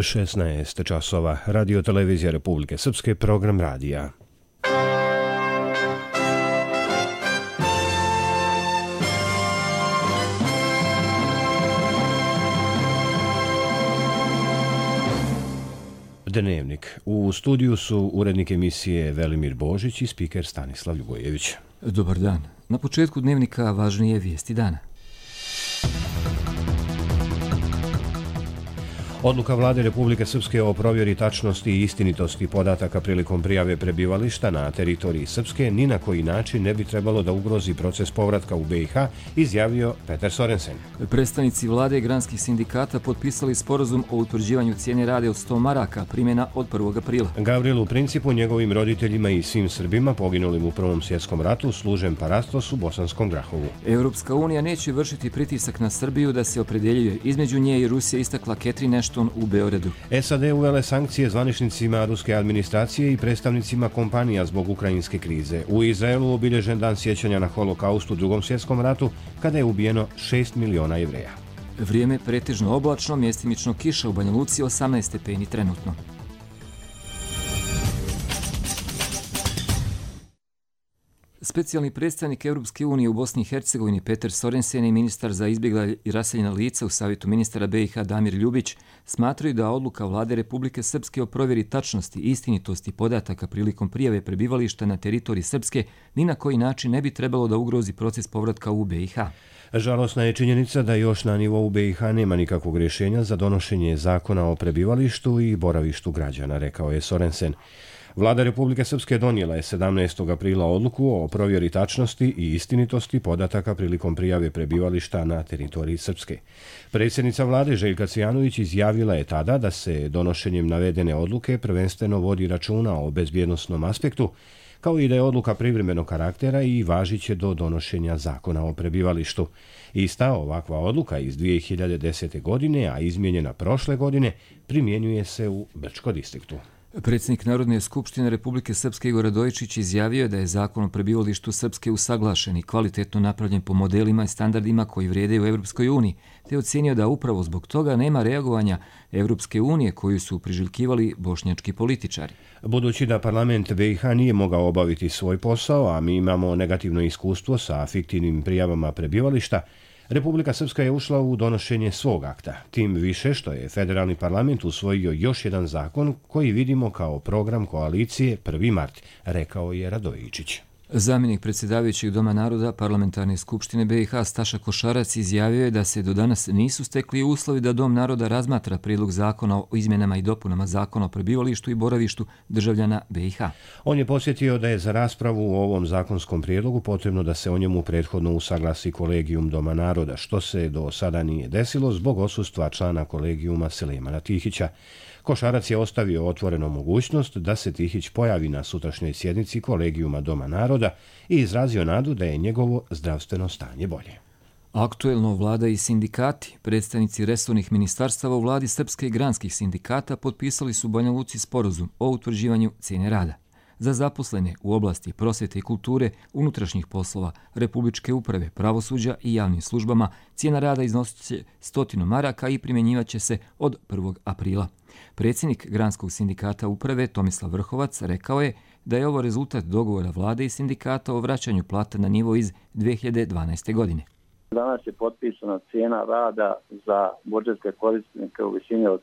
16 časova. Radio televizija Republike Srpske, program radija. Dnevnik. U studiju su urednik emisije Velimir Božić i spiker Stanislav Ljubojević. Dobar dan. Na početku dnevnika važnije vijesti dana. Odluka Vlade Republike Srpske o provjeri tačnosti i istinitosti podataka prilikom prijave prebivališta na teritoriji Srpske ni na koji način ne bi trebalo da ugrozi proces povratka u BiH, izjavio Peter Sorensen. Predstavnici vlade i granskih sindikata potpisali sporazum o utvrđivanju cijene rade od 100 maraka, primjena od 1. aprila. Gavrilu Principu, njegovim roditeljima i svim Srbima poginulim u Prvom svjetskom ratu služen parastos u Bosanskom Grahovu. Europska unija neće vršiti pritisak na Srbiju da se opredeljuje. Između nje i Rusije istakla Catherine Ashton u Beogradu. SAD uvele sankcije zvaničnicima ruske administracije i predstavnicima kompanija zbog ukrajinske krize. U Izraelu obilježen dan sjećanja na holokaust u Drugom svjetskom ratu, kada je ubijeno 6 miliona Jevreja. Vrijeme pretežno oblačno, mjestimično kiša u Banja Luci, 18 stepeni trenutno. Specijalni predstavnik Europske unije u Bosni i Hercegovini Peter Sorensen i ministar za izbjegla i raseljena lica u Savjetu ministara BiH Damir Ljubić smatraju da odluka Vlade Republike Srpske o provjeri tačnosti i istinitosti podataka prilikom prijave prebivališta na teritoriji Srpske ni na koji način ne bi trebalo da ugrozi proces povratka u BiH. Žalosna je činjenica da još na nivou BiH nema nikakvog rješenja za donošenje zakona o prebivalištu i boravištu građana, rekao je Sorensen. Vlada Republike Srpske donijela je 17. aprila odluku o provjeri tačnosti i istinitosti podataka prilikom prijave prebivališta na teritoriji Srpske. Predsjednica vlade Željka Cvijanović izjavila je tada da se donošenjem navedene odluke prvenstveno vodi računa o bezbjednosnom aspektu, kao i da je odluka privremenog karaktera i važiće do donošenja zakona o prebivalištu. Ista ovakva odluka iz 2010. godine, a izmijenjena prošle godine, primjenjuje se u Brčko distriktu. Predsjednik Narodne skupštine Republike Srpske Igor Radojičić izjavio da je zakon o prebivalištu Srpske usaglašen i kvalitetno napravljen po modelima i standardima koji vrijede u Europskoj uniji, te ocjenio da upravo zbog toga nema reagovanja Europske unije koju su priželjkivali bošnjački političari. Budući da parlament BiH nije mogao obaviti svoj posao, a mi imamo negativno iskustvo sa fiktivnim prijavama prebivališta, Republika Srpska je ušla u donošenje svog akta, tim više što je federalni parlament usvojio još jedan zakon koji vidimo kao program koalicije 1. mart, rekao je Radojičić. Zamjenik predsjedavajućeg Doma naroda Parlamentarne skupštine BiH Staša Košarac izjavio je da se do danas nisu stekli uslovi da Dom naroda razmatra prijedlog zakona o izmjenama i dopunama zakona o prebivalištu i boravištu državljana BiH. On je podsjetio da je za raspravu o ovom zakonskom prijedlogu potrebno da se o njemu prethodno usaglasi kolegijum Doma naroda, što se do sada nije desilo zbog odsustva člana kolegijuma Selemana Tihića. Košarac je ostavio otvorenu mogućnost da se Tihić pojavi na sutrašnjoj sjednici kolegijuma Doma naroda i izrazio nadu da je njegovo zdravstveno stanje bolje. Aktuelno vlada i sindikati, predstavnici resornih ministarstava u vladi Srpske i granskih sindikata potpisali su u Banja Luci sporazum o utvrđivanju cijene rada. Za zaposlene u oblasti prosvjete i kulture, unutrašnjih poslova, republičke uprave, pravosuđa i javnim službama cijena rada iznosit će 100 maraka i primjenjivaće se od 1. aprila. Predsjednik Granskog sindikata uprave Tomislav Vrhovac rekao je da je ovo rezultat dogovora vlade i sindikata o vraćanju plata na nivo iz 2012. godine. Danas je potpisana cijena rada za budžetske korisnike u visini od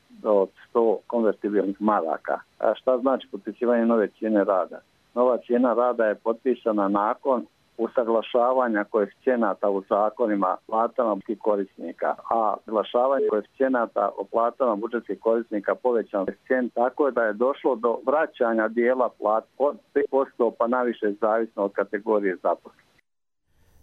100 konvertibilnih maraka. A šta znači potpisivanje nove cijene rada? Nova cijena rada je potpisana nakon usaglašavanja koeficijenata u zakonima platama budžetskih korisnika, a usaglašavanje koeficijenata o platama budžetskih korisnika povećan koeficijent tako da je došlo do vraćanja dijela plata od 5% pa naviše zavisno od kategorije zaposlenih.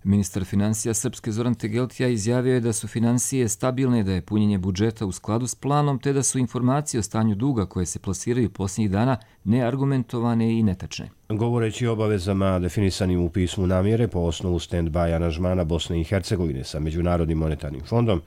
Ministar financija Srpske Zoran Tegeltija izjavio je da su financije stabilne, da je punjenje budžeta u skladu s planom, te da su informacije o stanju duga koje se plasiraju posljednjih dana neargumentovane i netačne. Govoreći o obavezama definisanim u pismu namjere po osnovu stand-by aranžmana Bosne i Hercegovine sa Međunarodnim monetarnim fondom,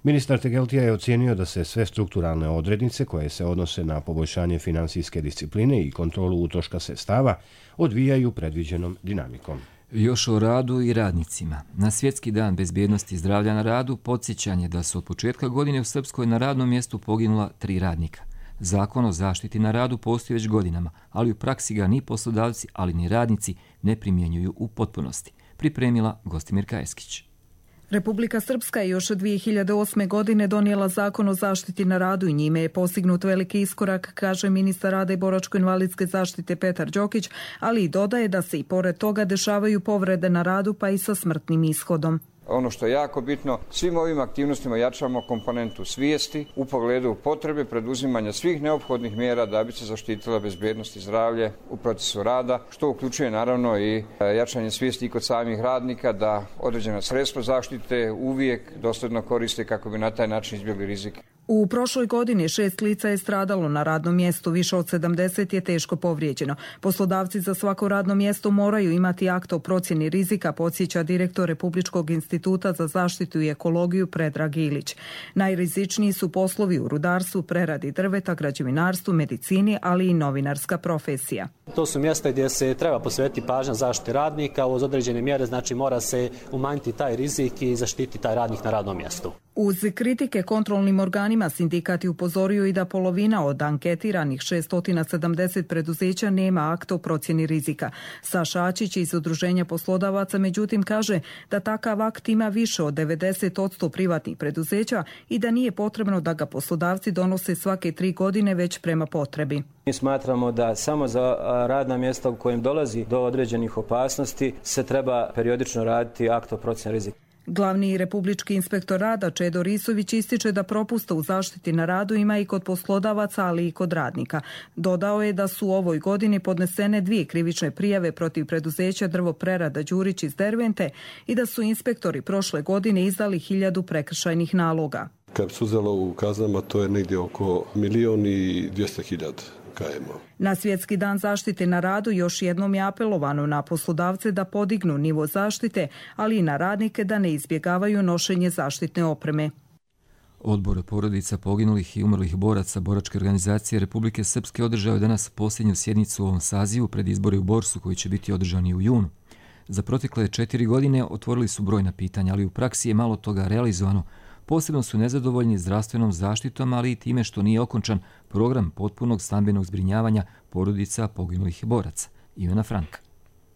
ministar Tegeltija je ocijenio da se sve strukturalne odrednice koje se odnose na poboljšanje finansijske discipline i kontrolu utroška sredstava odvijaju predviđenom dinamikom. Još o radu i radnicima. Na Svjetski dan bezbjednosti i zdravlja na radu podsjećanje da su od početka godine u Srpskoj na radnom mjestu poginula 3 radnika. Zakon o zaštiti na radu postoji već godinama, ali u praksi ga ni poslodavci, ali ni radnici ne primjenjuju u potpunosti. Pripremila Gostimirka Eskić. Republika Srpska je još 2008. godine donijela zakon o zaštiti na radu i njime je postignut veliki iskorak, kaže ministar rada i boračko-invalidske zaštite Petar Đokić, ali i dodaje da se i pored toga dešavaju povrede na radu pa i sa smrtnim ishodom. Ono što je jako bitno, svim ovim aktivnostima jačamo komponentu svijesti u pogledu potrebe preduzimanja svih neophodnih mjera da bi se zaštitila bezbednost i zdravlje u procesu rada, što uključuje naravno i jačanje svijesti i kod samih radnika da određena sredstva zaštite uvijek dosledno koriste kako bi na taj način izbjegli rizik. U prošloj godini 6 lica je stradalo na radnom mjestu, više od 70 je teško povrijeđeno. Poslodavci za svako radno mjesto moraju imati akt o procjeni rizika, podsjeća direktor Republičkog instituta za zaštitu i ekologiju Predrag Ilić. Najrizičniji su poslovi u rudarstvu, preradi drveta, građevinarstvu, medicini, ali i novinarska profesija. To su mjesta gdje se treba posvetiti pažnja zaštiti radnika, uz određene mjere, znači mora se umanjiti taj rizik i zaštiti taj radnik na radnom mjestu. Uz kritike kontrolnim organima sindikat je upozorio i da polovina od anketiranih 670 preduzeća nema akt o procjeni rizika. Saša Ačić iz Udruženja poslodavaca međutim kaže da takav akt ima više od 90% privatnih preduzeća i da nije potrebno da ga poslodavci donose svake 3 godine već prema potrebi. Mi smatramo da samo za radna mjesta u kojem dolazi do određenih opasnosti se treba periodično raditi akt o procjeni rizika. Glavni republički inspektor rada Čedo Risović ističe da propusta u zaštiti na radu ima i kod poslodavaca, ali i kod radnika. Dodao je da su u ovoj godini podnesene 2 krivične prijave protiv preduzeća Drvoprerada Đurić iz Dervente i da su inspektori prošle godine izdali 1000 prekršajnih naloga. Kad se uzelo u kaznama, to je negdje oko 1.200.000 km. Na Svjetski dan zaštite na radu još jednom je apelovano na poslodavce da podignu nivo zaštite, ali i na radnike da ne izbjegavaju nošenje zaštitne opreme. Odbor porodica poginulih i umrlih boraca Boračke organizacije Republike Srpske održao je danas posljednju sjednicu u ovom sazivu pred izbore u Borsu koji će biti održani u junu. Za protekle 4 godine otvorili su brojna pitanja, ali u praksi je malo toga realizovano. Posebno su nezadovoljni zdravstvenom zaštitom, ali i time što nije okončan program potpunog stambenog zbrinjavanja porodica poginulih boraca. Ivana Franka.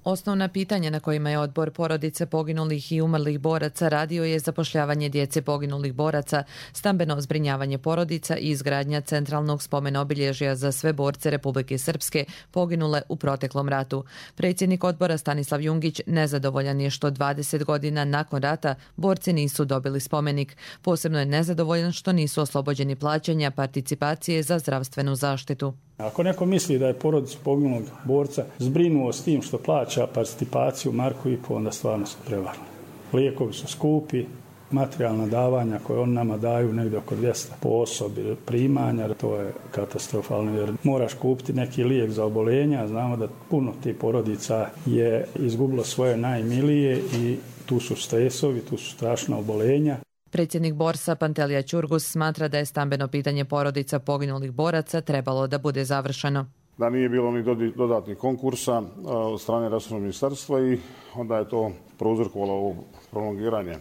Osnovna pitanja na kojima je odbor porodice poginulih i umrlih boraca radio je zapošljavanje djece poginulih boraca, stambeno zbrinjavanje porodica i izgradnja centralnog spomena obilježja za sve borce Republike Srpske poginule u proteklom ratu. Predsjednik odbora Stanislav Jungić nezadovoljan je što 20 godina nakon rata borci nisu dobili spomenik. Posebno je nezadovoljan što nisu oslobođeni plaćanja participacije za zdravstvenu zaštitu. Ako neko misli da je porodicu poginulog borca zbrinuo s tim što plaća participaciju marku i po, onda stvarno su prevarni. Lijekovi su skupi, materijalna davanja koje on nama daju negdje oko 200 po osobi primanja, to je katastrofalno jer moraš kupiti neki lijek za oboljenja, znamo da puno tih porodica je izgubilo svoje najmilije i tu su stresovi, tu su strašna oboljenja. Predsjednik Borsa Pantelija Ćurgus smatra da je stambeno pitanje porodica poginulih boraca trebalo da bude završeno. Da nije bilo ni dodatnih konkursa od strane resornog ministarstva i onda je to prouzrokovalo ovo prolongiranje.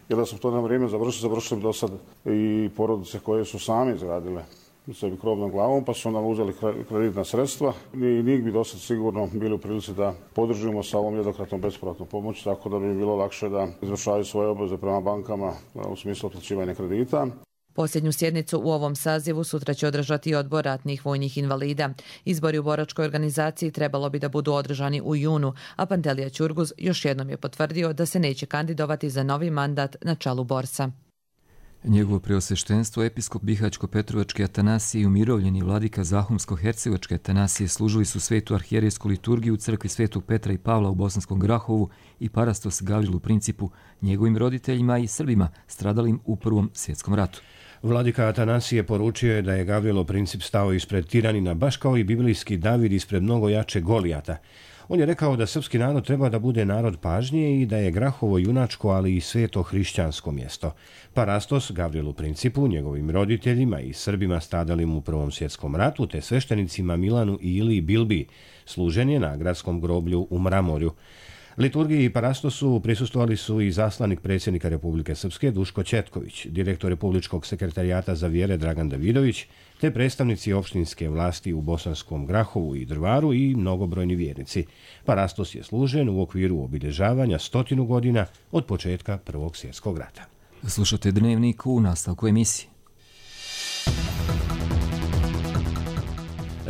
Jer da smo to na vrijeme završili bi do sad i porodice koje su sami izgradile sebi krov nad glavom, pa su onda uzeli kreditna sredstva i njih bi dosta sigurno bili u prilici da podržimo sa ovom jednokratnom bespovratnom pomoći, tako da bi bilo lakše da izvršavaju svoje obveze prema bankama u smislu otplaćivanja kredita. Posljednju sjednicu u ovom sazivu sutra će održati odbor ratnih vojnih invalida. Izbori u Boračkoj organizaciji trebalo bi da budu održani u junu, a Pantelija Ćurguz još jednom je potvrdio da se neće kandidovati za novi mandat na čelu Borsa. Njegovo preosveštenstvo episkop Bihaćko-Petrovački Atanasije i umirovljeni vladika Zahumsko-Hercegovačke Atanasije služili su svetu arhijerejsku liturgiju u crkvi Svetog Petra i Pavla u Bosanskom Grahovu i parastos Gavrilu Principu, njegovim roditeljima i Srbima stradalim u Prvom svjetskom ratu. Vladika Atanasije poručio je da je Gavrilo Princip stao ispred tiranina baš kao i biblijski David ispred mnogo jače Golijata. On je rekao da srpski narod treba da bude narod pažnje i da je Grahovo junačko, ali i sveto hrišćansko mjesto. Parastos Gavrilu Principu, njegovim roditeljima i Srbima stradalim u Prvom svjetskom ratu, te sveštenicima Milanu i Iliji Bilbi, služen je na gradskom groblju u Mramorju. Liturgiji i parastosu prisustvovali su i zaslanik predsjednika Republike Srpske Duško Ćetković, direktor Republičkog sekretarijata za vjere Dragan Davidović, te predstavnici opštinske vlasti u Bosanskom Grahovu i Drvaru i mnogobrojni vjernici. Parastos je služen u okviru obilježavanja 100 godina od početka Prvog svjetskog rata. Slušate Dnevnik u nastavku emisije.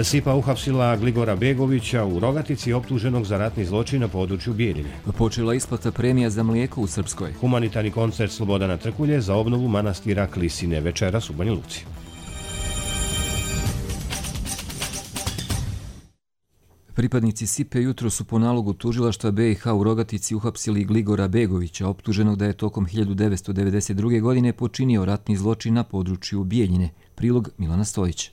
SIPA uhapsila Gligora Begovića u Rogatici, optuženog za ratni zločin na području Bijeljine. Počela isplata premija za mlijeko u Srpskoj. Humanitarni koncert Slobodana Trkulje za obnovu manastira Klisine večeras u Banja Luci. Pripadnici SIPE jutro su po nalogu tužilaštva BiH u Rogatici uhapsili Gligora Begovića, optuženog da je tokom 1992. godine počinio ratni zločin na području Bijeljine. Prilog Milana Stojić.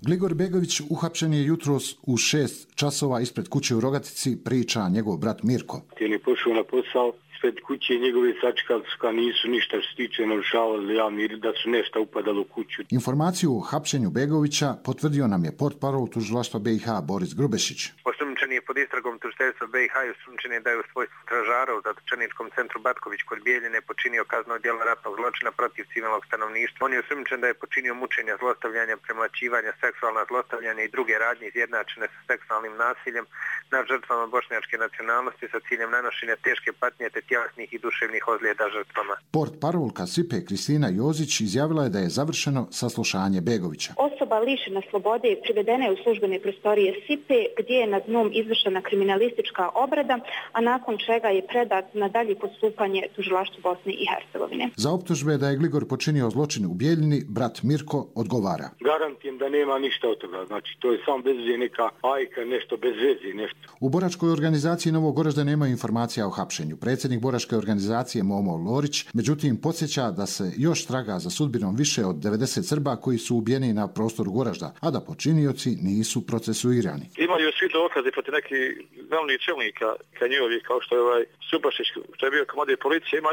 Gligor Begović uhapšen je jutros u 6 časova ispred kuće u Rogatici, priča njegov brat Mirko. On je pošao na posao, ispred kuće njegove sačekali su kao nisu ništa što se tiče narušavali javni red, da su nešto upadalo u kuću. Informaciju o hapšenju Begovića potvrdio nam je portparol tužilaštva BiH Boris Grubešić. Osumnjičen je pod istragom tužiteljstva BiH i osumnjičen je da je u svojstvu stražara u zatočeničkom centru Batković kod Bijeljine počinio kazneno djelo ratnog zločina protiv civilnog stanovništva. On je osumnjičen da je počinio mučenja, zlostavljanja, premlaćivanja, seksualna zlostavljanja i druge radnje izjednačene sa seksualnim nasiljem nad žrtvama bošnjačke nacionalnosti sa ciljem nanošenja teške patnje te tjelesnih i duševnih ozljeda žrtvama. Portparolka SIPE Kristina Jozić izjavila je da je završeno saslušanje Begovića. Osoba lišena slobode privedena je u službene prostorije SIPE gdje je nad njom izvršena kriminalistička obrada, a nakon čega je predat na dalje postupanje tužilaštvu Bosne i Hercegovine. Za optužbe da je Gligor počinio zločin u Bijeljini, brat Mirko odgovara. Garantijem da nema ništa od toga, znači to je samo bez veze neka ajka, nešto bez veze, nešto. U boračkoj organizaciji Novog Goražda nema informacija o hapšenju. Predsjednik boračke organizacije Momo Lorić, međutim, podsjeća da se još traga za sudbinom više od 90 Srba koji su ubijeni na prostoru Goražda, a da počinioci nisu procesuirani. Imaju svi dokaze protiv nekih glavnih čelnika Kanjivovi, kao što je Subašić, što je bio komandir policije, ima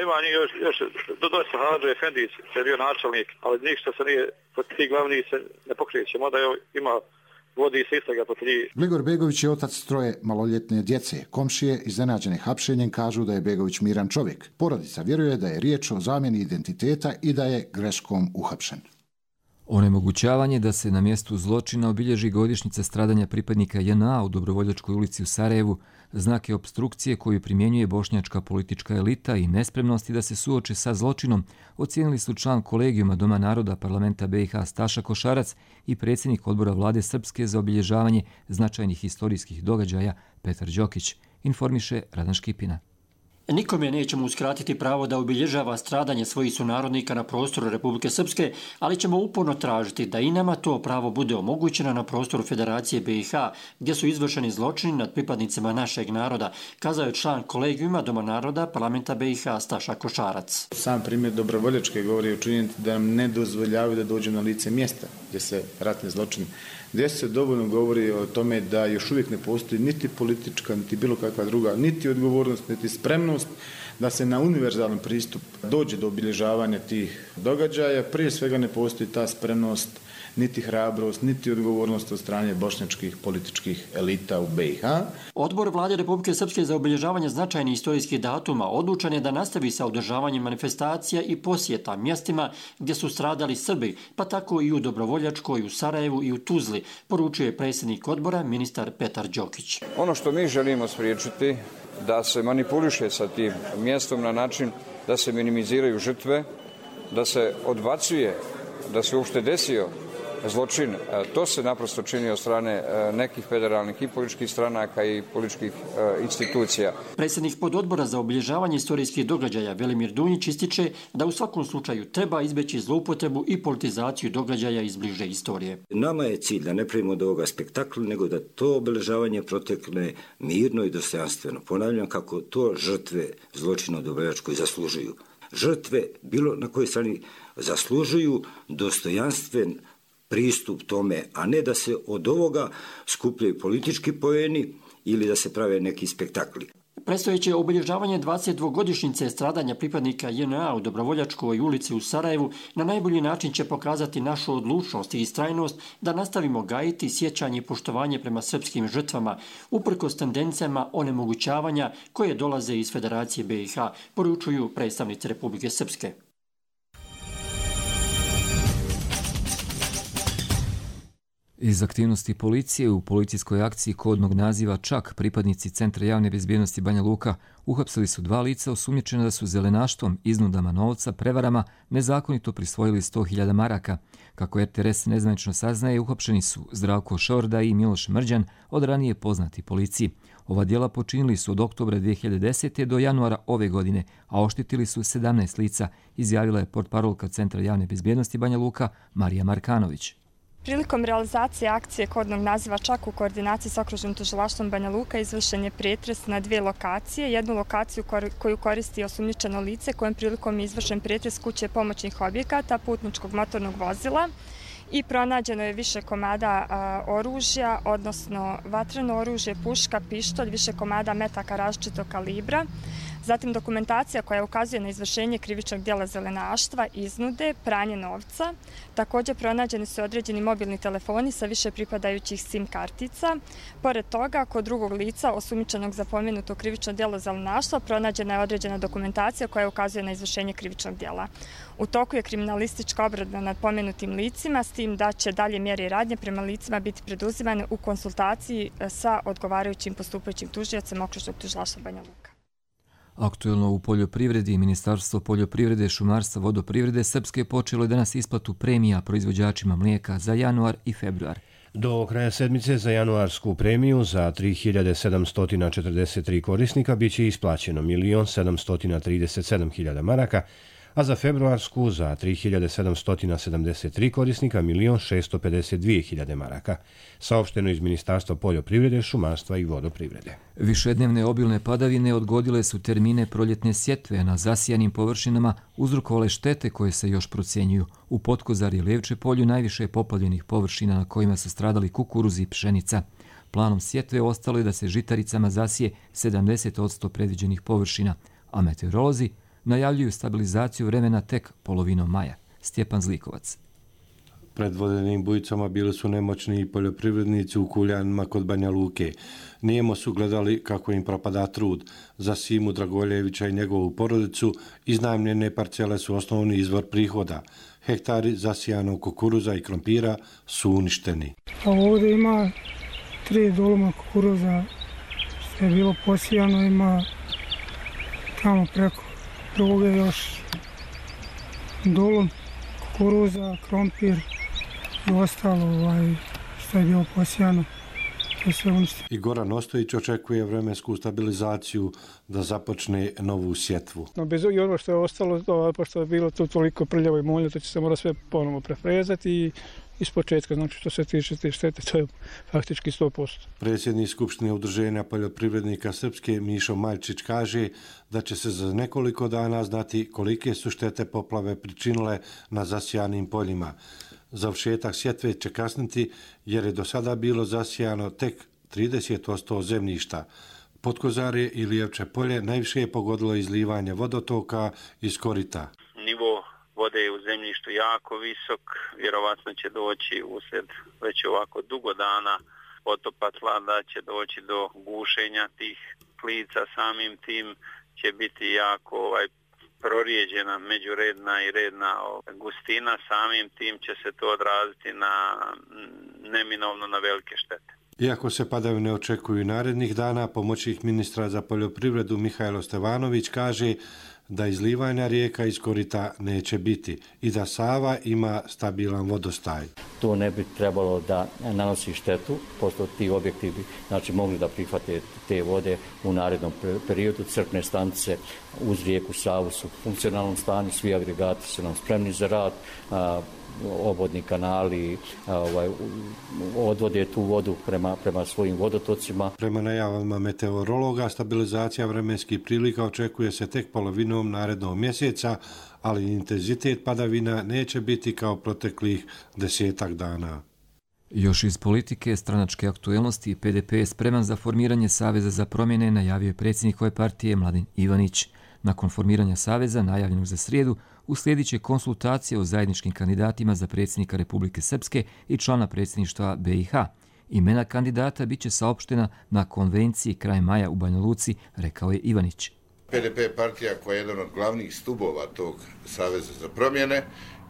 još dosta Hadžo Efendić, što je bio načelnik, ali ništa se nije, protiv tih glavnih se ne pokreće, mada ima vodi se istraga protiv njih. Gligor Begović je otac troje maloljetne djece. Komšije iznenađene hapšenjem kažu da je Begović miran čovjek. Porodica vjeruje da je riječ o zamjeni identiteta i da je greškom uhapšen. Onemogućavanje da se na mjestu zločina obilježi godišnjica stradanja pripadnika JNA u Dobrovoljačkoj ulici u Sarajevu, znak je opstrukcije koju primjenjuje bošnjačka politička elita i nespremnosti da se suoče sa zločinom, ocijenili su član kolegijuma Doma naroda parlamenta BiH Staša Košarac i predsjednik odbora vlade Srpske za obilježavanje značajnih historijskih događaja Petar Đokić, informiše Radan Škipina. Nikome nećemo uskratiti pravo da obilježava stradanje svojih sunarodnika na prostoru Republike Srpske, ali ćemo uporno tražiti da i nama to pravo bude omogućeno na prostoru Federacije BiH, gdje su izvršeni zločini nad pripadnicima našeg naroda, kazao je član kolegijuma Doma naroda parlamenta BiH Staša Košarac. Sam primjer Dobrovoljačke govori o činjenici da nam ne dozvoljavaju da dođu na lice mjesta gdje se ratni zločin gdje se dovoljno govori o tome da još uvijek ne postoji niti politička, niti bilo kakva druga, niti odgovornost, niti spremnost da se na univerzalan pristup dođe do obilježavanja tih događaja. Prije svega ne postoji ta spremnost, niti hrabrost, niti odgovornost od strane bošnjačkih političkih elita u BiH. Odbor vlade Republike Srpske za obilježavanje značajnih istorijskih datuma odlučan je da nastavi sa održavanjem manifestacija i posjeta mjestima gdje su stradali Srbi, pa tako i u Dobrovoljačkoj, u Sarajevu i u Tuzli, poručuje predsjednik odbora ministar Petar Đokić. Ono što mi želimo spriječiti da se manipuliše sa tim mjestom na način da se minimiziraju žrtve, da se odbacuje, da se uopšte desio zločin. To se naprosto čini od strane nekih federalnih i političkih stranaka i političkih institucija. Predsjednik pododbora za obilježavanje istorijskih događaja Velimir Dunjić ističe da u svakom slučaju treba izbjeći zloupotrebu i politizaciju događaja iz bliže istorije. Nama je cilj da ne pravimo od ovoga spektakla, nego da to obilježavanje protekne mirno i dostojanstveno. Ponavljam kako to žrtve zločina u Dobrovoljačkoj zaslužuju. Žrtve, bilo na kojoj strani, zaslužuju dostojanstven pristup tome, a ne da se od ovoga skupljaju politički poeni ili da se prave neki spektakli. Predstojeće obilježavanje 22-godišnjice stradanja pripadnika JNA u Dobrovoljačkoj ulici u Sarajevu na najbolji način će pokazati našu odlučnost i istrajnost da nastavimo gajiti sjećanje i poštovanje prema srpskim žrtvama, uprkos tendencijama onemogućavanja koje dolaze iz Federacije BiH, poručuju predstavnici Republike Srpske. Iz aktivnosti policije u policijskoj akciji kodnog naziva Čak pripadnici Centra javne bezbjednosti Banja Luka uhapsili su 2 lica osumnjičena da su zelenaštvom, iznudama novca, prevarama nezakonito prisvojili 100.000 maraka. Kako RTRS nezvanično saznaje, uhapšeni su Zdravko Šorda i Miloš Mrđan, od ranije poznati policiji. Ova djela počinili su od oktobra 2010. do januara ove godine, a oštetili su 17 lica, izjavila je portparolka Centra javne bezbjednosti Banja Luka Marija Markanović. Prilikom realizacije akcije kodnog naziva Čak u koordinaciji s okružnim tužilaštvom Banja Luka izvršen je pretres na 2 lokacije. Jednu lokaciju koju koristi osumnjičeno lice, kojem prilikom je izvršen pretres kuće pomoćnih objekata, putničkog motornog vozila i pronađeno je više komada oružja, odnosno vatreno oružje, puška, pištolj, više komada metaka različitog kalibra. Zatim dokumentacija koja ukazuje na izvršenje krivičnog djela zelenaštva, iznude, pranje novca. Također pronađeni su određeni mobilni telefoni sa više pripadajućih SIM kartica. Pored toga, kod drugog lica osumnjičenog za pomenuto krivično djelo zelenaštva pronađena je određena dokumentacija koja ukazuje na izvršenje krivičnog djela. U toku je kriminalistička obrada nad pomenutim licima, s tim da će dalje mjere i radnje prema licima biti preduzimane u konsultaciji sa odgovarajućim postupajućim tužiocem okružnog tužilaštva Banja Luka. Aktuelno u poljoprivredi, Ministarstvo poljoprivrede, šumarstva, vodoprivrede Srpske je počelo danas isplatu premija proizvođačima mlijeka za januar i februar. Do kraja sedmice za januarsku premiju za 3.743 korisnika biće isplaćeno 1.737.000 maraka, a za februarsku za 3.773 korisnika 1.652.000 maraka, saopšteno iz Ministarstva poljoprivrede, šumarstva i vodoprivrede. Višednevne obilne padavine odgodile su termine proljetne sjetve na zasijanim površinama, uzrokovale štete koje se još procjenjuju. U Potkozari i Levče polju najviše je poplavljenih površina na kojima su stradali kukuruz i pšenica. Planom sjetve ostalo je da se žitaricama zasije 70% predviđenih površina, a meteorolozi najavljuju stabilizaciju vremena tek polovinom maja. Stjepan Zlikovac. Pred vodenim bujicama bili su nemoćni i poljoprivrednici u Kuljanima kod Banja Luke. Nijemo su gledali kako im propada trud. Za Simu Dragoljevića i njegovu porodicu iznajmljene parcele su osnovni izvor prihoda. Hektari zasijanog kukuruza i krompira su uništeni. A ovdje ima 3 doloma kukuruza što je bilo posijano, ima tamo preko druge još dolom kukuruza, krompir i ostalo što je bilo posijano. I Goran Ostojić očekuje vremensku stabilizaciju da započne novu sjetvu. No, bez i ono što je ostalo, pošto je bilo tu toliko prljavo i molje, to će se mora sve ponovo prefrezati i iz početka, znači što se tiče te štete, to je faktički 100%. Predsjednik Skupštine udruženja poljoprivrednika Srpske Mišo Maljčić kaže da će se za nekoliko dana znati kolike su štete poplave pričinile na zasijanim poljima. Završetak sjetve će kasniti jer je do sada bilo zasijano tek 30% zemljišta. Potkozarje i Lijevče polje najviše je pogodilo izlivanje vodotoka iz korita. Nivo vode je u zemljištu jako visok, vjerovatno će doći usred već ovako dugo dana potopa tla, da će doći do gušenja tih klica, samim tim će biti jako prorijeđena međuredna i redna gustina, samim tim će se to odraziti neminovno na velike štete. Iako se padavine očekuju narednih dana, pomoćnik ministra za poljoprivredu Mihajlo Stevanović kaže da izlivanja rijeka iz korita neće biti i da Sava ima stabilan vodostaj. To ne bi trebalo da nanosi štetu, pošto ti objekti bi mogli da prihvate te vode u narednom periodu. Crpne stanice uz rijeku Savu su u funkcionalnom stanju, svi agregati su nam spremni za rad, obvodni kanali odvode tu vodu prema svojim vodotocima. Prema najavama meteorologa, stabilizacija vremenskih prilika očekuje se tek polovinom narednog mjeseca, ali intenzitet padavina neće biti kao proteklih 10 dana. Još iz politike, stranačke aktuelnosti, PDP je spreman za formiranje Saveza za promjene, najavio je predsjednik ove partije Mladen Ivanić. Nakon formiranja Saveza, najavljenog za srijedu, uslijedit će konsultacije o zajedničkim kandidatima za predsjednika Republike Srpske i člana predsjedništva BiH. Imena kandidata bit će saopštena na konvenciji kraj maja u Banja Luci, rekao je Ivanić. PDP je partija koja je jedan od glavnih stubova tog Saveza za promjene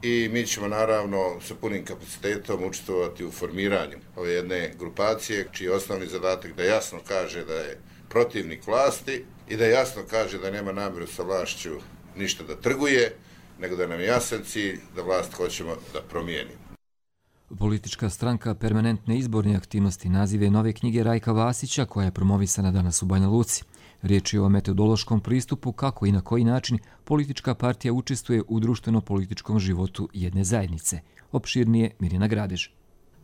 i mi ćemo naravno sa punim kapacitetom učestvovati u formiranju ove jedne grupacije čiji je osnovni zadatak da jasno kaže da je protivnik vlasti i da jasno kaže da nema namjeru sa vlašću ništa da trguje, nego da nam je jasan cilj da vlast hoćemo da promijenimo. Politička stranka Permanentne izborne aktivnosti nazive nove knjige Rajka Vasića, koja je promovisana danas u Banja Luci. Riječ je o metodološkom pristupu kako i na koji način politička partija učestvuje u društveno-političkom životu jedne zajednice. Opširnije Mirjana Gradež.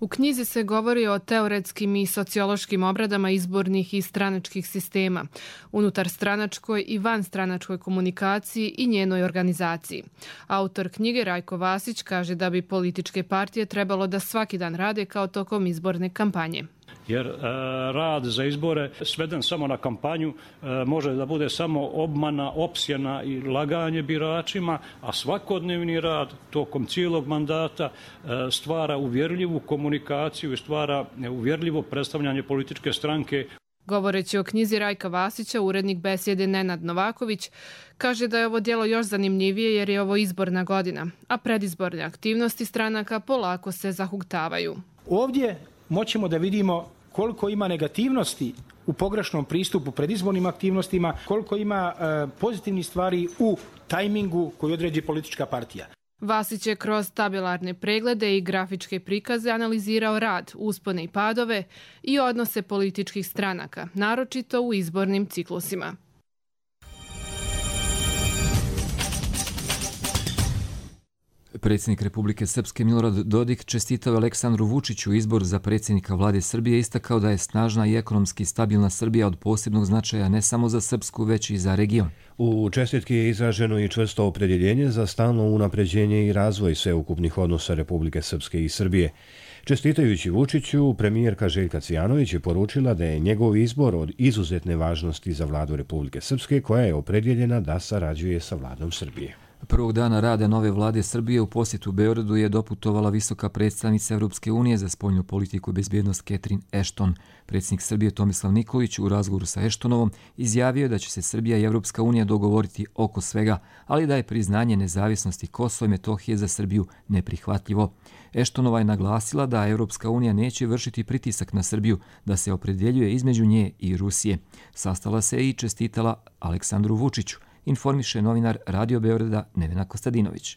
U knjizi se govori o teoretskim i sociološkim obradama izbornih i stranačkih sistema, unutar stranačkoj i vanstranačkoj komunikaciji i njenoj organizaciji. Autor knjige Rajko Vasić kaže da bi političke partije trebalo da svaki dan rade kao tokom izborne kampanje. Jer rad za izbore sveden samo na kampanju može da bude samo obmana, opsjena i laganje biračima, a svakodnevni rad tokom cijelog mandata stvara uvjerljivu komunikaciju i stvara uvjerljivo predstavljanje političke stranke. Govoreći o knjizi Rajka Vasića, urednik Besjede Nenad Novaković kaže da je ovo djelo još zanimljivije jer je ovo izborna godina, a predizborne aktivnosti stranaka polako se zahuktavaju. Ovdje moćemo da vidimo koliko ima negativnosti u pogrešnom pristupu predizbornim aktivnostima, koliko ima pozitivnih stvari u tajmingu koji određi politička partija. Vasić je kroz tabelarne preglede i grafičke prikaze analizirao rad, uspone i padove i odnose političkih stranaka, naročito u izbornim ciklusima. Predsjednik Republike Srpske Milorad Dodik čestitao Aleksandru Vučiću izbor za predsjednika vlade Srbije, istakao da je snažna i ekonomski stabilna Srbija od posebnog značaja ne samo za Srpsku, već i za region. U čestitki je izraženo i čvrsto opredjeljenje za stalno unapređenje i razvoj sveukupnih odnosa Republike Srpske i Srbije. Čestitajući Vučiću, premijerka Željka Cvijanović je poručila da je njegov izbor od izuzetne važnosti za vladu Republike Srpske, koja je opredjeljena da sarađuje sa vladom Srbije. Prvog dana rada nove vlade Srbije u posjetu Beogradu je doputovala visoka predstavnica Europske unije za spoljnu politiku i bezbjednost Catherine Ashton. Predsjednik Srbije Tomislav Nikolić u razgovoru sa Ashtonovom izjavio da će se Srbija i Europska unija dogovoriti oko svega, ali da je priznanje nezavisnosti Kosova i Metohije za Srbiju neprihvatljivo. Ashtonova je naglasila da Europska unija neće vršiti pritisak na Srbiju da se opredjeljuje između nje i Rusije. Sastala se i čestitala Aleksandru Vučiću, informiše novinar Radio Beograda Nevena Kostadinović.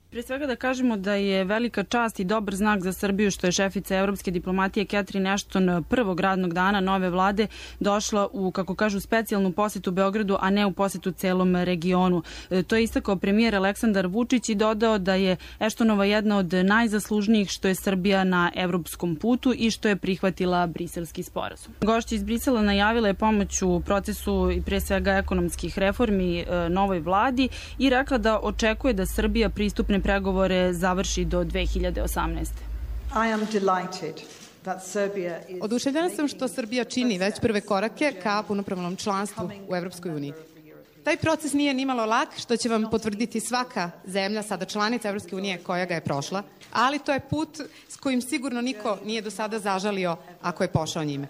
Prije svega da kažemo da je velika čast i dobar znak za Srbiju što je šefica evropske diplomatije Catherine Ashton prvog radnog dana nove vlade došla u, kako kažu, specijalnu posjetu Beogradu, a ne u posjetu celom regionu. To je istakao premijer Aleksandar Vučić i dodao da je Ashtonova jedna od najzaslužnijih što je Srbija na evropskom putu i što je prihvatila briselski sporazum. Gošća iz Brisela najavila je pomoć u procesu i prije svega ekonomskih reformi novoj vladi i rekla da očekuje da Srbija pristupne pregovore završi do 2018. Oduševljena sam što Srbija čini već prve korake ka punopravnom članstvu u Evropskoj uniji. Taj proces nije nimalo lak, što će vam potvrditi svaka zemlja, sada članica Evropske unije koja ga je prošla, ali to je put s kojim sigurno niko nije do sada zažalio ako je pošao njime.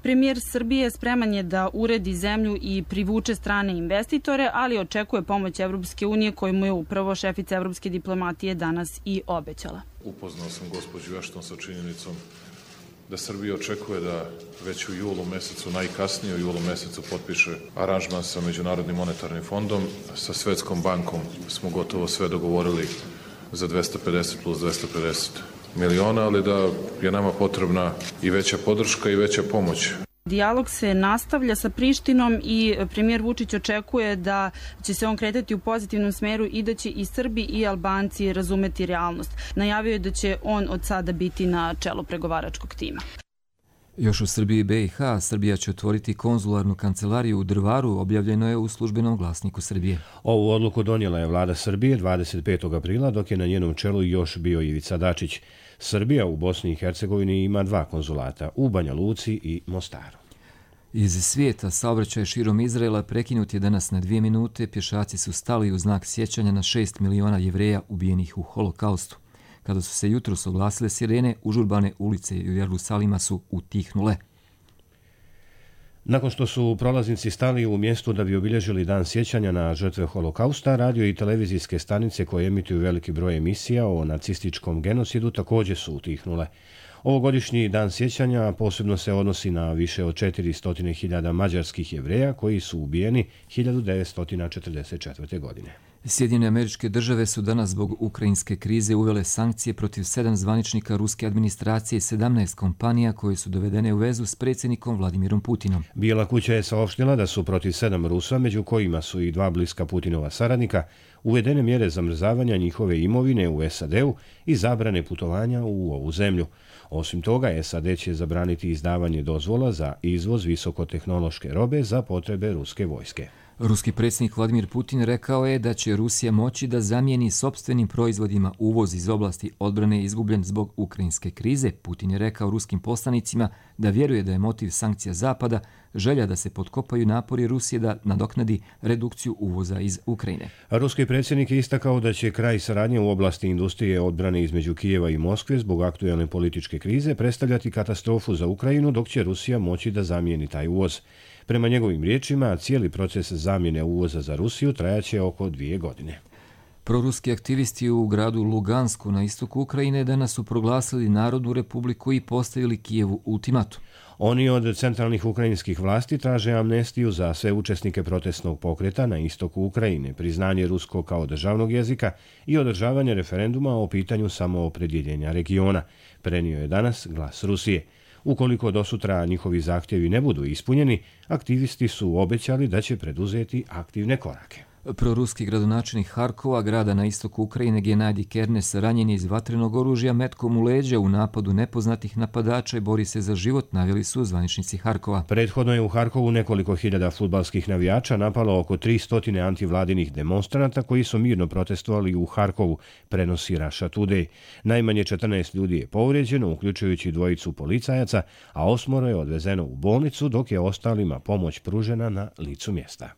Premijer Srbije spreman je da uredi zemlju i privuče strane investitore, ali očekuje pomoć Evropske unije koju mu je upravo šefica evropske diplomatije danas i obećala. Upoznao sam gospođu Ashton sa činjenicom da Srbija očekuje da već u julu mesecu, najkasnije u julu mesecu, potpiše aranžman sa Međunarodnim monetarnim fondom. Sa Svetskom bankom smo gotovo sve dogovorili za 250 plus 250 miliona, ali da je nama potrebna i veća podrška i veća pomoć. Dijalog se nastavlja sa Prištinom i premijer Vučić očekuje da će se on kretati u pozitivnom smeru i da će i Srbi i Albanci razumeti realnost. Najavio je da će on od sada biti na čelu pregovaračkog tima. Još u Srbiji i BiH, Srbija će otvoriti konzularnu kancelariju u Drvaru, objavljeno je u službenom glasniku Srbije. Ovu odluku donijela je vlada Srbije 25. aprila, dok je na njenom čelu još bio Ivica Dačić. Srbija u Bosni i Hercegovini ima 2 konzulata, u Banja Luci i Mostaru. Iz svijeta saobraćaj širom Izraela prekinut je danas na 2 minute. Pješaci su stali u znak sjećanja na 6 miliona Jevreja ubijenih u Holokaustu. Kada su se jutros oglasile sirene, užurbane ulice u Jerusalima su utihnule. Nakon što su prolaznici stali u mjestu da bi obilježili dan sjećanja na žrtve Holokausta, radio i televizijske stanice koje emituju veliki broj emisija o nacističkom genocidu također su utihnule. Ovogodišnji dan sjećanja posebno se odnosi na više od 400.000 mađarskih Jevreja koji su ubijeni 1944. godine. Sjedinjene Američke Države su danas zbog ukrajinske krize uvele sankcije protiv 7 zvaničnika ruske administracije i 17 kompanija koje su dovedene u vezu s predsjednikom Vladimirom Putinom. Bijela kuća je saopštila da su protiv 7 Rusa, među kojima su i 2 bliska Putinova saradnika, uvedene mjere zamrzavanja njihove imovine u SAD-u i zabrane putovanja u ovu zemlju. Osim toga, SAD će zabraniti izdavanje dozvola za izvoz visokotehnološke robe za potrebe ruske vojske. Ruski predsjednik Vladimir Putin rekao je da će Rusija moći da zamijeni sopstvenim proizvodima uvoz iz oblasti odbrane izgubljen zbog ukrajinske krize. Putin je rekao ruskim poslanicima da vjeruje da je motiv sankcija Zapada želja da se potkopaju napori Rusije da nadoknadi redukciju uvoza iz Ukrajine. Ruski predsjednik je istakao da će kraj saradnje u oblasti industrije odbrane između Kijeva i Moskve zbog aktualne političke krize predstavljati katastrofu za Ukrajinu, dok će Rusija moći da zamijeni taj uvoz. Prema njegovim riječima, cijeli proces zamjene uvoza za Rusiju trajaće oko 2 godine. Proruski aktivisti u gradu Lugansku na istoku Ukrajine danas su proglasili Narodnu republiku i postavili Kijevu ultimatum. Oni od centralnih ukrajinskih vlasti traže amnestiju za sve učesnike protestnog pokreta na istoku Ukrajine, priznanje ruskog kao državnog jezika i održavanje referenduma o pitanju samoopredjeljenja regiona, prenio je danas Glas Rusije. Ukoliko do sutra njihovi zahtjevi ne budu ispunjeni, aktivisti su obećali da će preduzeti aktivne korake. Proruski gradonačelnik Harkova, grada na istoku Ukrajine, Genadij Kernes, ranjen je iz vatrenog oružja metkom u leđa u napadu nepoznatih napadača i bori se za život, naveli su zvaničnici Harkova. Prethodno je u Harkovu nekoliko hiljada fudbalskih navijača napalo oko 300 antivladinih demonstranata koji su mirno protestovali u Harkovu, prenosi Russia Today. Najmanje 14 ljudi je povrijeđeno, uključujući 2 policajaca, a 8 je odvezeno u bolnicu, dok je ostalima pomoć pružena na licu mjesta.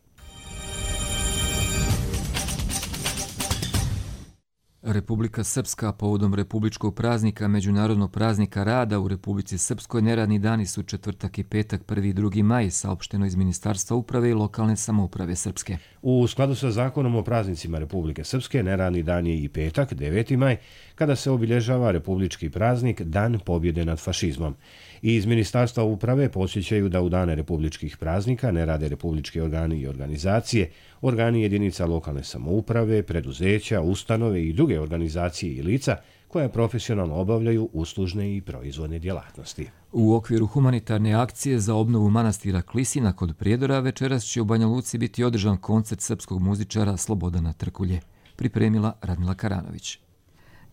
Republika Srpska povodom republičkog praznika, međunarodnog praznika rada u Republici Srpskoj neradni dani su četvrtak i petak 1. i 2. maj, saopšteno iz Ministarstva uprave i lokalne samouprave Srpske. U skladu sa zakonom o praznicima Republike Srpske, neradni dan je i petak, 9. maj, kada se obilježava republički praznik Dan pobjede nad fašizmom. I iz Ministarstva uprave podsjećaju da u dane republičkih praznika ne rade republički organi i organizacije, organi jedinica lokalne samouprave, preduzeća, ustanove i druge organizacije i lica koja profesionalno obavljaju uslužne i proizvodne djelatnosti. U okviru humanitarne akcije za obnovu manastira Klisina kod Prijedora večeras će u Banja Luci biti održan koncert srpskog muzičara Slobodana Trkulje. Pripremila Radmila Karanović.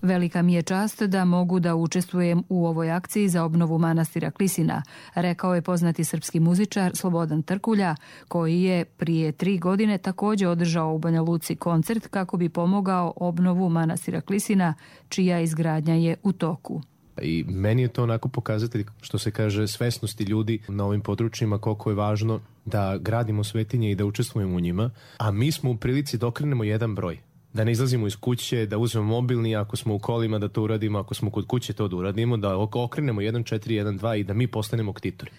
Velika mi je čast da mogu da učestvujem u ovoj akciji za obnovu manastira Klisina, rekao je poznati srpski muzičar Slobodan Trkulja, koji je prije 3 godine također održao u Banja Luci koncert kako bi pomogao obnovu manastira Klisina, čija izgradnja je u toku. I meni je to onako pokazatelj, što se kaže, svesnosti ljudi na ovim područjima, koliko je važno da gradimo svetinje i da učestvujemo u njima, a mi smo u prilici da okrenemo jedan broj. Da ne izlazimo iz kuće, da uzmemo mobilni, ako smo u kolima da to uradimo, ako smo kod kuće to da uradimo, da okrenemo 1-4-1-2 i da mi postanemo ktitori.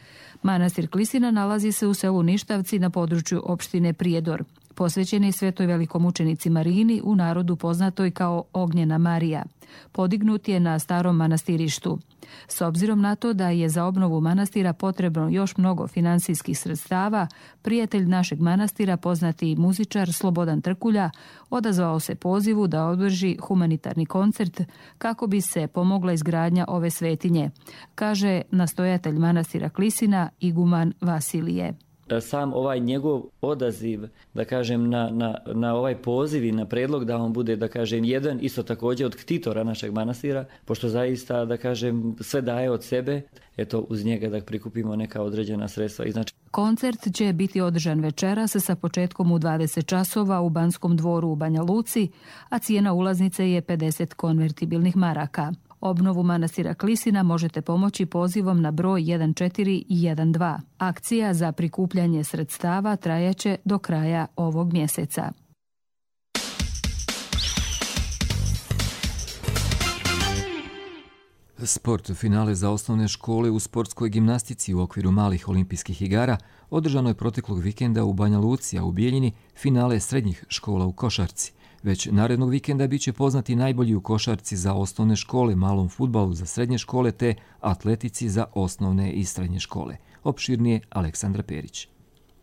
Manastir Klisina nalazi se u selu Ništavci na području opštine Prijedor. Posvećen je svetoj velikomučenici Marini, u narodu poznatoj kao Ognjena Marija. Podignut je na starom manastirištu. S obzirom na to da je za obnovu manastira potrebno još mnogo finansijskih sredstava, prijatelj našeg manastira, poznati muzičar Slobodan Trkulja, odazvao se pozivu da održi humanitarni koncert kako bi se pomogla izgradnja ove svetinje, kaže nastojatelj manastira Klisina iguman Vasilije. sam ovaj njegov odaziv, da kažem, na ovaj poziv i na predlog da on bude, da kažem, jedan isto također od ktitora našeg manastira, pošto zaista, da kažem, sve daje od sebe, eto uz njega da prikupimo neka određena sredstva. Koncert će biti održan večeras sa početkom u 20 časova u Banskom dvoru u Banja Luci, a cijena ulaznice je 50 konvertibilnih maraka. Obnovu manastira Klisina možete pomoći pozivom na broj 1412. Akcija za prikupljanje sredstava trajaće do kraja ovog mjeseca. Sport finale za osnovne škole u sportskoj gimnastici u okviru malih olimpijskih igara održano je proteklog vikenda u Banja Luci, a u Bijeljini finale srednjih škola u košarci. Već narednog vikenda bit će poznati najbolji u košarci za osnovne škole, malom fudbalu za srednje škole te atletici za osnovne i srednje škole. Opširnije Aleksandra Perić.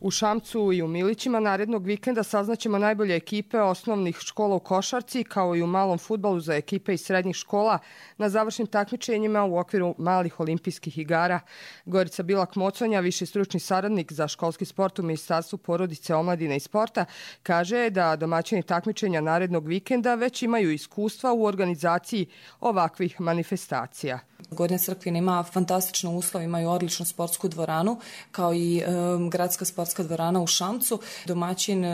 U Šamcu i u Milićima narednog vikenda saznaćemo najbolje ekipe osnovnih škola u košarci, kao i u malom fudbalu za ekipe iz srednjih škola na završnim takmičenjima u okviru malih olimpijskih igara. Gorica Bilak-Moconja, viši stručni saradnik za školski sport u Ministarstvu porodice, omladine i sporta, kaže da domaćini takmičenja narednog vikenda već imaju iskustva u organizaciji ovakvih manifestacija. Gornja Crkvina ima fantastične uslove, imaju odličnu sportsku dvoranu, kao i gradska sportska dvorana u Šamcu. Domaćin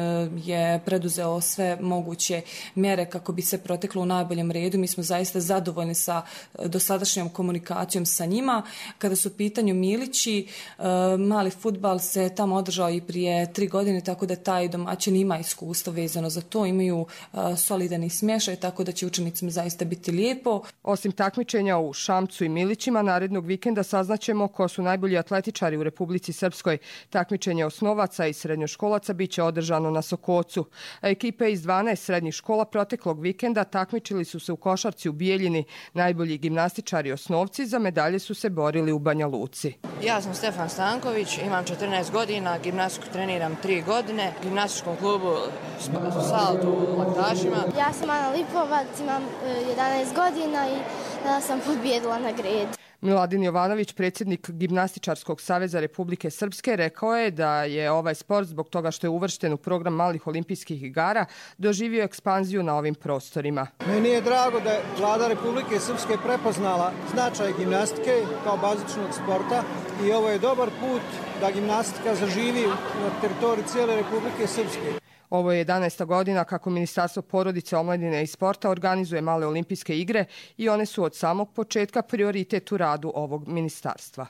je preduzeo sve moguće mjere kako bi se proteklo u najboljem redu. Mi smo zaista zadovoljni sa dosadašnjom komunikacijom sa njima. Kada su u pitanju Milići, mali fudbal se tamo održao i prije 3 godine, tako da taj domaćin ima iskustvo vezano za to. Imaju solidan i smješaj, tako da će učenicima zaista biti lijepo. Osim takmičenja u Šamcu i Milićima, narednog vikenda saznaćemo ko su najbolji atletičari u Republici Srpskoj. Takmičenje osnovaca i srednjoškolaca bit će održano na Sokocu. A ekipe iz 12 srednjih škola proteklog vikenda takmičili su se u košarci u Bijeljini. Najbolji gimnastičari osnovci za medalje su se borili u Banja Luci. Ja sam Stefan Stanković, imam 14 godina, gimnastiku treniram 3 godine, u gimnastičkom klubu Saltu u Laktašima. Ja sam Ana Lipovac, imam 11 godina i tada sam pobjedila na gredi. Miladin Jovanović, predsjednik Gimnastičarskog saveza Republike Srpske, rekao je da je ovaj sport, zbog toga što je uvršten u program malih olimpijskih igara, doživio ekspanziju na ovim prostorima. Meni je drago da je Vlada Republike Srpske prepoznala značaj gimnastike kao bazičnog sporta i ovo je dobar put da gimnastika zaživi na teritoriji cijele Republike Srpske. Ovo je 11. godina kako Ministarstvo porodice, omladine i sporta organizuje male olimpijske igre i one su od samog početka prioritet u radu ovog ministarstva.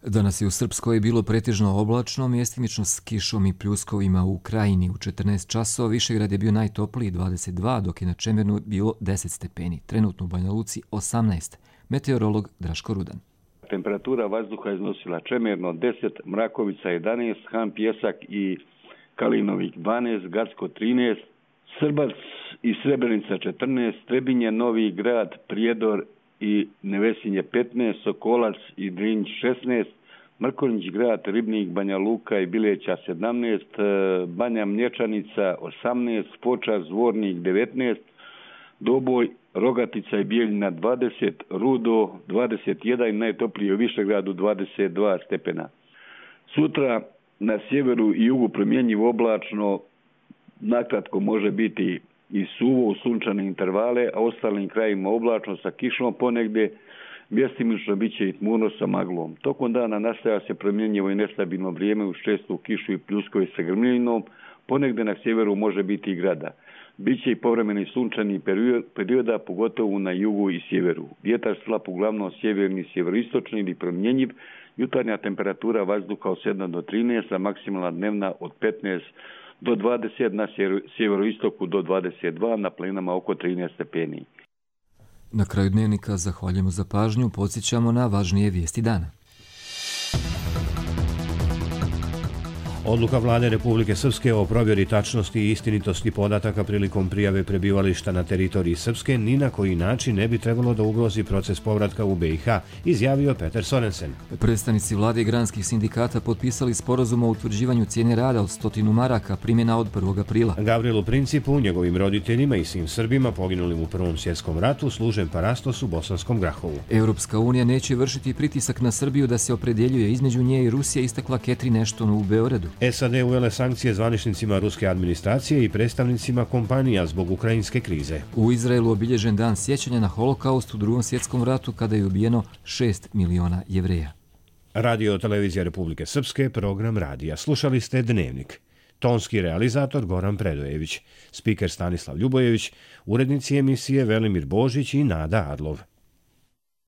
Danas je u Srpskoj bilo pretežno oblačno, mjestimično s kišom i pljuskovima u Krajini. U 14 časova Višegrad je bio najtopliji 22, dok je na Čemernu bilo 10 stepeni. Trenutno u Banja Luci 18. Meteorolog Draško Rudan. Temperatura vazduha iznosila Čemerno 10, Mrakovica 11, Han Pjesak i Kalinovik 12, Gacko 13, Srbac i Srebrenica 14, Trebinje, Novi Grad, Prijedor i Nevesinje 15, Sokolac i Drinj 16, Mrkonjić Grad, Ribnik, Banja Luka i Bileća 17, Banja Mlječanica 18, Foča, Zvornik 19, Doboj, Rogatica i Bijeljina 20, Rudo 21 i najtoplije u Višegradu 22 stepena. Sutra na sjeveru i jugu promjenjivo oblačno, nakratko može biti i suvo u sunčane intervale, a ostalim krajima oblačno sa kišom ponegdje, mjestimično bit će i tmurno sa maglom. Tokom dana nastaja se promjenjivo i nestabilno vrijeme uz čestu kišu i pljuskovi sa grmljinom, ponegdje na sjeveru može biti i grada. Biće i povremeni sunčani perioda, pogotovo na jugu i sjeveru. Vjetar slab uglavnom sjeverni, sjeveroistočni ili promjenjiv, jutarnja temperatura vazduha od 7 do 13, a maksimalna dnevna od 15 do 20, na sjeveroistoku do 22, na planinama oko 13 stepeni. Na kraju dnevnika zahvaljujemo za pažnju, podsjećamo na važnije vijesti dana. Odluka vlade Republike Srpske o provjeri tačnosti i istinitosti podataka prilikom prijave prebivališta na teritoriji Srpske ni na koji način ne bi trebalo da ugrozi proces povratka u BiH, izjavio Peter Sorensen. Predstavnici vlade i granskih sindikata potpisali sporazum o utvrđivanju cijene rada od 100 maraka, primjena od 1. aprila. Gavrilu Principu, njegovim roditeljima i svim Srbima poginulim u Prvom svjetskom ratu služen parastos u Bosanskom Grahovu. Europska unija neće vršiti pritisak na Srbiju da se opredjeljuje između nje i Rusije, istakla Catherine Ashton u Beogradu. SAD uvele sankcije zvaničnicima ruske administracije i predstavnicima kompanija zbog ukrajinske krize. U Izraelu obilježen dan sjećanja na holokaust u Drugom svjetskom ratu kada je ubijeno 6 miliona Jevreja. Radio Televizija Republike Srpske, program radija. Slušali ste Dnevnik. Tonski realizator Goran Predojević, spiker Stanislav Ljubojević, urednici emisije Velimir Božić i Nada Adlov.